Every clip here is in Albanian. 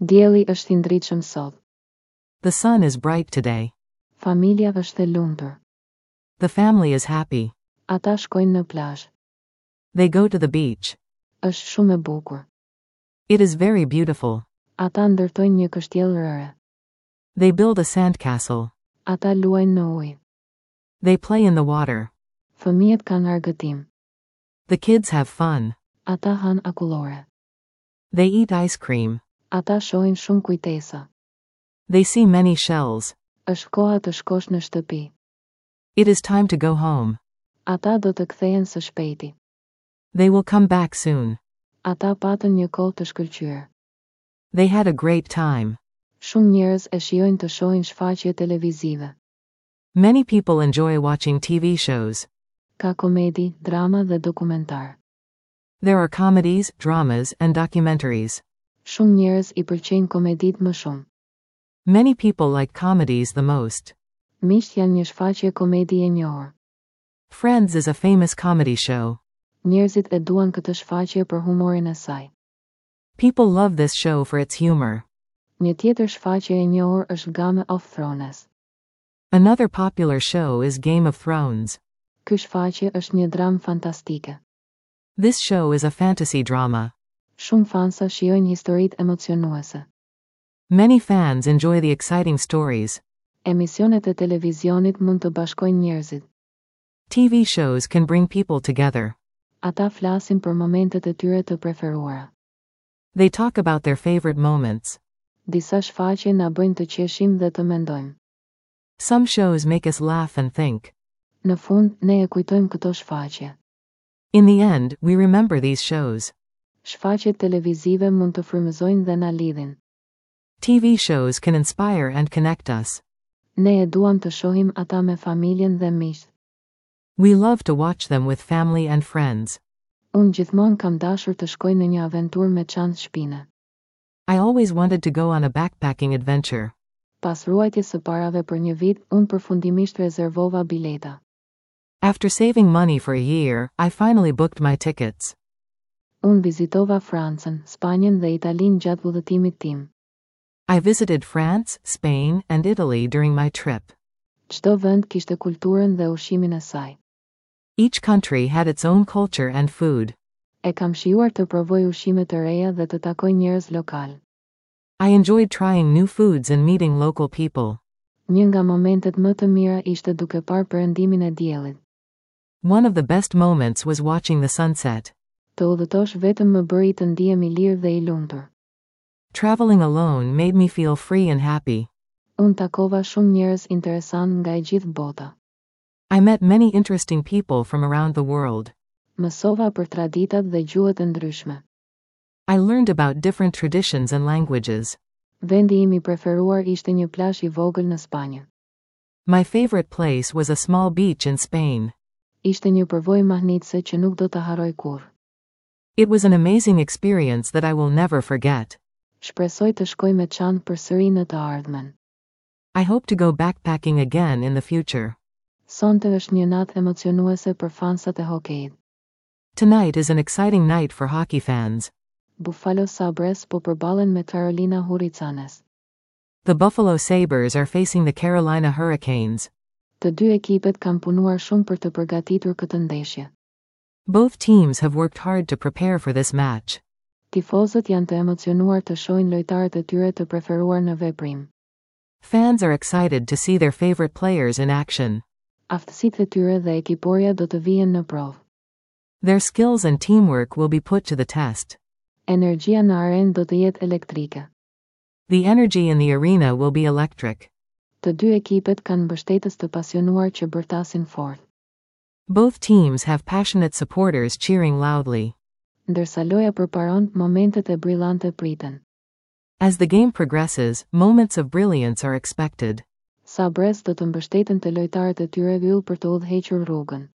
Dielli është i ndritshëm sot. The sun is bright today. Familja është e lumtur. The family is happy. Ata shkojnë në plazh. They go to the beach. Është shumë e bukur. It is very beautiful. Ata ndërtojnë një kështjellë rëre. They build a sandcastle. Ata luajnë në ujë. They play in the water. Fëmijët kanë argëtim. The kids have fun. Ata hanë akullore. They eat ice cream. Ata shohin shumë kujtesa. They see many shells. Është koha të shkosh në shtëpi. It is time to go home. Ata do të kthehen së shpejti. They will come back soon. Ata patën një kohë të shkëlqyer. They had a great time. Shumë njerëz e shijojnë të shohin shfaqje televizive. Many people enjoy watching TV shows. Ka komedi, drama dhe dokumentar. There are comedies, dramas, and documentaries. Shumë njerëz i pëlqejnë komeditë më shumë. Many people like comedies the most. Miqtë janë një shfaqje komedi e njohur. Friends is a famous comedy show. Njerëzit e duan këtë shfaqje për humorin e saj. People love this show for its humor. Një tjetër shfaqje e njohur është Game of Thrones. Another popular show is Game of Thrones. Ky shfaqje është një dramë fantastike. This show is a fantasy drama. Shumë fansa shijojnë historitë emocionuese. Many fans enjoy the exciting stories. Emisionet e televizionit mund të bashkojnë njerëzit. TV shows can bring people together. Ata flasin për momentet e tyre të preferuara. They talk about their favorite moments. Disa shfaqje na bëjnë të qeshim dhe të mendojmë. Some shows make us laugh and think. Në fund, ne e kujtojmë këto shfaqje. In the end, we remember these shows. Shfaqjet televizive mund të frymëzojnë dhe na lidhin. TV shows can inspire and connect us. Ne e duam të shohim ata me familjen dhe miqtë. We love to watch them with family and friends. Unë gjithmonë kam dashur të shkoj në një aventurë me çantë shpine. I always wanted to go on a backpacking adventure. Pas ruajtjes së parave për një vit, unë përfundimisht rezervova bileta. After saving money for a year, I finally booked my tickets. Unë vizitova Francën, Spanjën dhe Italinë gjatë udhëtimit tim. I visited France, Spain, and Italy during my trip. Çdo vend kishte kulturën dhe ushqimin e saj. Each country had its own culture and food. E kam shijuar të provoj ushqime të reja dhe të takoj njerëz lokal. I enjoyed trying new foods and meeting local people. Një nga momentet më të mira ishte duke parë perëndimin e diellit. One of the best moments was watching the sunset. Të udhëtosh vetëm më bëri të ndihem i lirë dhe i lumtur. Traveling alone made me feel free and happy. Unë takova shumë njerëz interesantë nga e gjithë bota. I met many interesting people from around the world. Mësova për traditat dhe gjuhët e ndryshme. I learned about different traditions and languages. Vendi im i preferuar ishte një plazh i vogël në Spanjë. My favorite place was a small beach in Spain. Ishte një përvojë mahnitëse që nuk do ta harroj kurrë. It was an amazing experience that I will never forget. Shpresoj të shkoj me çantë përsëri në të ardhmen. I hope to go backpacking again in the future. Sonte është një natë emocionuese për fansat e hokejit. Tonight is an exciting night for hockey fans. Buffalo Sabres po përballen me Carolina Hurricanes. The Buffalo Sabres are facing the Carolina Hurricanes. Të dy ekipet kanë punuar shumë për të përgatitur këtë ndeshje. Both teams have worked hard to prepare for this match. Tifozët janë të emocionuar të shohin lojtarët e tyre të preferuar në veprim. Fans are excited to see their favorite players in action. Aftësitë e tyre dhe ekiporia do të vihen në provë. Their skills and teamwork will be put to the test. Energjia në arenë do të jetë elektrike. The energy in the arena will be electric. Të dy ekipet kanë mbështetës të pasionuar që bërtasin fort. Both teams have passionate supporters cheering loudly. Ndërsa loja përparon, momentet e brillante priten. As the game progresses, moments of brilliance are expected. Sabres do të mbështeten te lojtarët e tyre yll për të udhëhequr rrugën.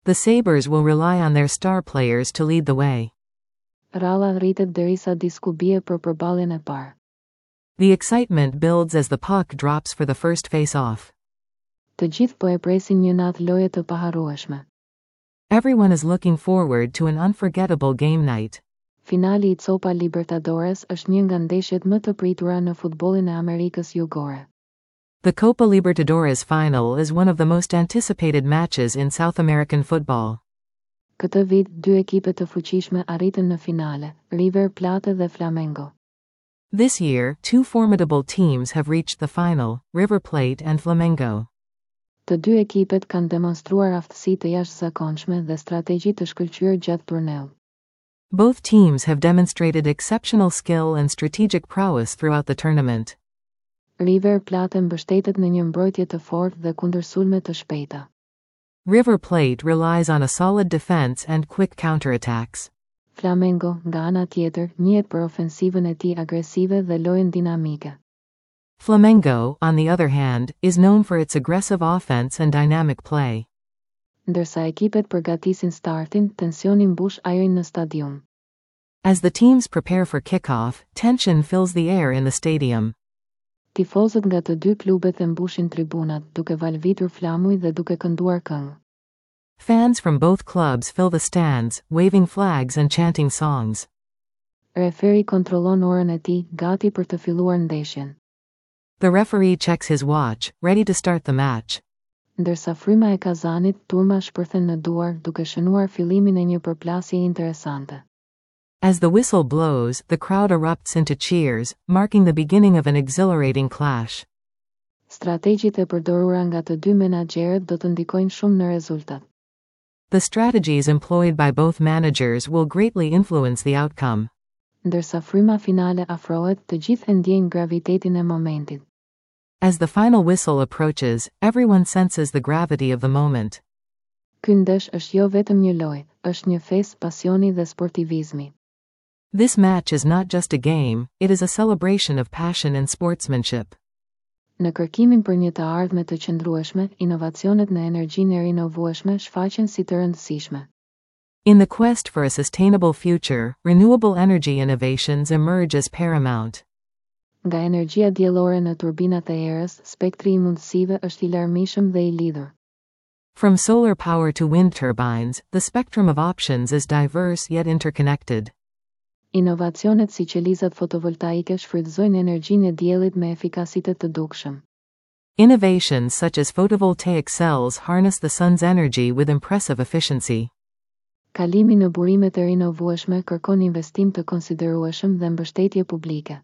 The Sabres will rely on their star players to lead the way. Ralla rritet derisa disku bie për përballjen e parë. The excitement builds as the puck drops for the first face-off. Të gjithë po e presin një natë loje të paharrueshme. Everyone is looking forward to an unforgettable game night. Finali i Copa Libertadores është një nga ndeshjet më të pritura në futbollin e Amerikës Jugore. The Copa Libertadores final is one of the most anticipated matches in South American football. Këtë vit, dy ekipe të fuqishme arritën në finale, River Plate dhe Flamengo. This year, two formidable teams have reached the final, River Plate and Flamengo. Të dy ekipet kanë demonstruar aftësi të jashtëzakonshme dhe strategji të shkëlqyer gjatë turneut. Both teams have demonstrated exceptional skill and strategic prowess throughout the tournament. River Plate mbështetet në një mbrojtje të fortë dhe kundërsulme të shpejta. River Plate relies on a solid defense and quick counterattacks. Flamengo, nga ana tjetër, njihet për ofensivën e tij agresive dhe lojën dinamike. Flamengo, on the other hand, is known for its aggressive offense and dynamic play. Ndërsa ekipet përgatisin startin, tensioni mbush ajrin në stadium. As the teams prepare for kickoff, tension fills the air in the stadium. Tifozët nga të dy klubet e mbushin tribunat, duke valvitur flamuj dhe duke kënduar këngë. Fans from both clubs fill the stands, waving flags and chanting songs. Referi kontrollon orën e tij, gati për të filluar ndeshjen. The referee checks his watch, ready to start the match. Ndërsa fryma e kazanit, turma shpërthen në duar, duke shënuar fillimin e një përplasje interesante. As the whistle blows, the crowd erupts into cheers, marking the beginning of an exhilarating clash. Strategjitë e përdorura nga të dy menaxherët do të ndikojnë shumë në rezultat. The strategies employed by both managers will greatly influence the outcome. Ndërsa fryma finale afrohet, të gjithë e ndjejnë gravitetin e momentit. As the final whistle approaches, everyone senses the gravity of the moment. Ky ndesh është jo vetëm një lojë, është një festë pasioni dhe sportivizmi. This match is not just a game, it is a celebration of passion and sportsmanship. Në kërkimin për një të ardhme të qëndrueshme, inovacionet në energjinë e rinovueshme shfaqen si të rëndësishme. In the quest for a sustainable future, renewable energy innovations emerge as paramount. Nga energjia diellore në turbinat e erës, spektri i mundësive është i larmishëm dhe i lidhur. From solar power to wind turbines, the spectrum of options is diverse yet interconnected. Inovacionet si qelizat fotovoltaike shfrytëzojnë energjinë e diellit me efikasitet të dukshëm. Innovations such as photovoltaic cells harness the sun's energy with impressive efficiency. Kalimi në burimet e rinovueshme kërkon investim të konsiderueshëm dhe mbështetje publike.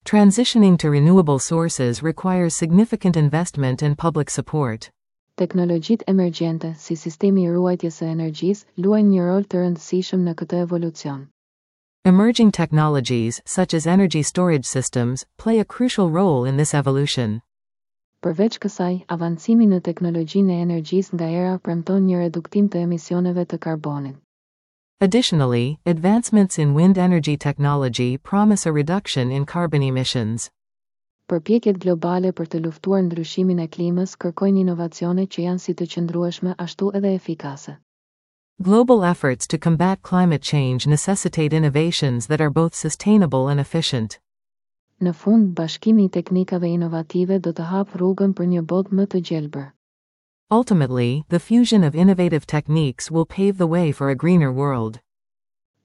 Transitioning to renewable sources requires significant investment and public support. Teknologjitë emergjente, si sistemi i ruajtjes së energjisë, luajnë një rol të rëndësishëm në këtë evolucion. Emerging technologies, such as energy storage systems, play a crucial role in this evolution. Përveç kësaj, avancimi në teknologjinë e energjisë nga era premton një reduktim të emisioneve të karbonit. Additionally, advancements in wind energy technology promise a reduction in carbon emissions. Përpjekjet globale për të luftuar ndryshimin e klimës kërkojnë inovacione që janë si të qëndrueshme ashtu edhe efikase. Global efforts to combat climate change necessitate innovations that are both sustainable and efficient. Në fund, bashkimi i teknikave inovative do të hapë rrugën për një botë më të gjelbër. Ultimately, the fusion of innovative techniques will pave the way for a greener world.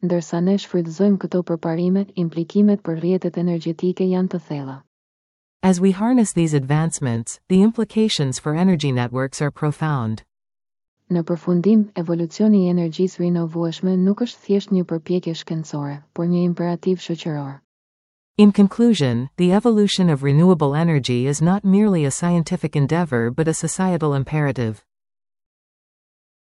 Ndërsa ne shfrytëzojmë këto përparime, implikimet për rrjetet energjetike janë të thella. As we harness these advancements, the implications for energy networks are profound. Në përfundim, evolucioni i energjisë rinovueshme nuk është thjesht një përpjekje shkencore, por një imperativ shoqëror. In conclusion, the evolution of renewable energy is not merely a scientific endeavor but a societal imperative.